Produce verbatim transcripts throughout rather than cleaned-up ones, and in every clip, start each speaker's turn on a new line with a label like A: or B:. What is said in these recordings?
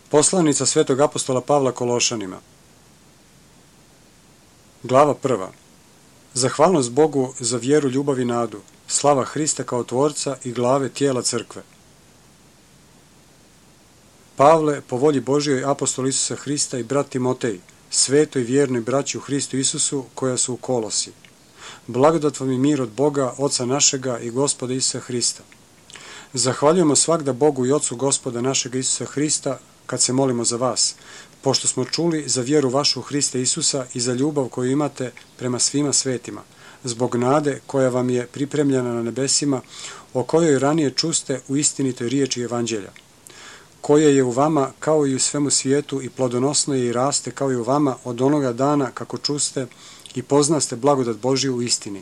A: Poslanica svetog apostola Pavla Kološanima. Glava prva. Zahvalnost Bogu za vjeru, ljubav i nadu. Slava Hrista kao tvorca i glave tijela crkve. Pavle, po volji Božjoj, apostol Isusa Hrista i brat Timotej, svetoj vjernoj braći u Hristu Isusu koja su u Kolosi. Blagodat vam i mir od Boga, Oca našega i Gospoda Isusa Hrista. Zahvaljujemo svagda Bogu i Ocu Gospoda našega Isusa Hrista kad se molimo za vas, pošto smo čuli za vjeru vašu u Hrista Isusa i za ljubav koju imate prema svima svetima, zbog nade koja vam je pripremljena na nebesima, o kojoj ranije čuste u istinitoj riječi Evanđelja, koja je u vama kao i u svemu svijetu i plodonosno je i raste kao i u vama od onoga dana kako čuste i poznaste blagodat Božju u istini,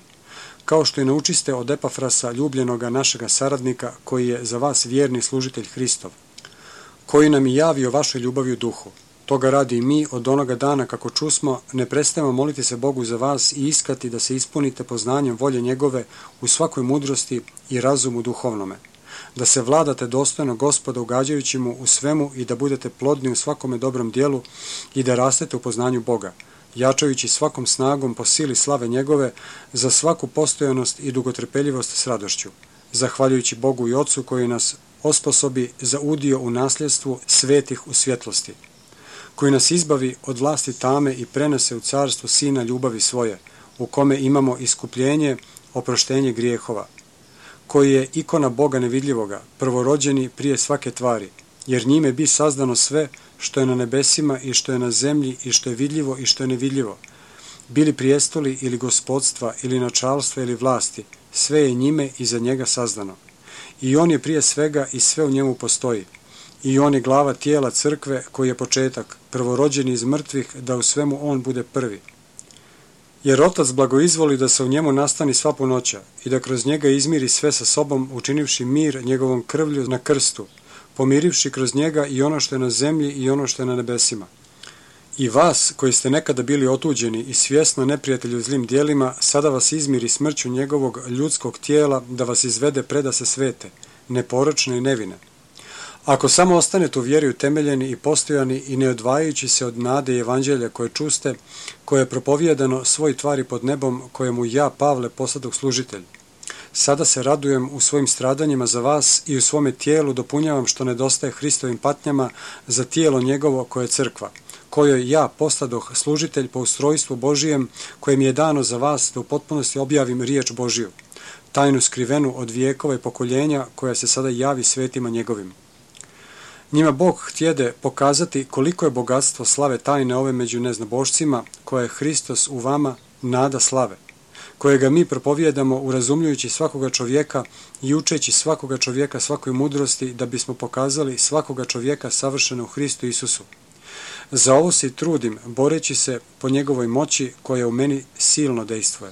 A: kao što i naučiste od Epafrasa, ljubljenoga našega saradnika, koji je za vas vjerni služitelj Hristov, koji nam i javi o vašoj ljubavi u duhu. Toga radi i mi od onoga dana kako čusmo, ne prestajemo moliti se Bogu za vas i iskati da se ispunite poznanjem volje njegove u svakoj mudrosti i razumu duhovnome, da se vladate dostojno Gospoda ugađajući mu u svemu i da budete plodni u svakome dobrom dijelu i da rastete u poznanju Boga, jačajući svakom snagom po sili slave njegove za svaku postojanost i dugotrpeljivost s radošću, zahvaljujući Bogu i Ocu koji nas osposobi za udio u nasljedstvu svetih u svjetlosti, koji nas izbavi od vlasti tame i prenese u carstvo Sina ljubavi svoje, u kome imamo iskupljenje, oproštenje grijehova, koji je ikona Boga nevidljivoga, prvorođeni prije svake tvari, jer njime bi sazdano sve što je na nebesima i što je na zemlji i što je vidljivo i što je nevidljivo, bili prijestoli ili gospodstva ili načalstva ili vlasti, sve je njime i za njega sazdano. I on je prije svega i sve u njemu postoji. I on je glava tijela crkve koji je početak, prvorođeni iz mrtvih, da u svemu on bude prvi. Jer Otac blagoizvoli da se u njemu nastani sva punoća i da kroz njega izmiri sve sa sobom, učinivši mir njegovom krvlju na krstu, pomirivši kroz njega i ono što je na zemlji i ono što je na nebesima. I vas, koji ste nekada bili otuđeni i svjesno neprijatelji u zlim dijelima, sada vas izmiri smrću njegovog ljudskog tijela, da vas izvede preda se svete, neporočne i nevine. Ako samo ostanete u vjeri utemeljeni i postojani i ne odvajajući se od nade i evanđelja koje čuste, koje je propovijedano svoj tvari pod nebom, kojemu ja, Pavle, posadog služitelj. Sada se radujem u svojim stradanjima za vas i u svome tijelu dopunjavam što nedostaje Hristovim patnjama za tijelo njegovo koje je crkva, kojoj ja postadoh služitelj po ustrojstvu Božijem, koje mi je dano za vas da u potpunosti objavim riječ Božiju, tajnu skrivenu od vijekova i pokoljenja koja se sada javi svetima njegovim. Njima Bog htjede pokazati koliko je bogatstvo slave tajne ove među neznabošcima, koja je Hristos u vama, nada slave, kojega mi propovijedamo urazumljujući svakoga čovjeka i učeći svakoga čovjeka svakoj mudrosti, da bismo pokazali svakoga čovjeka savršeno u Hristu Isusu. Za ovo se i trudim, boreći se po njegovoj moći koja u meni silno dejstvuje.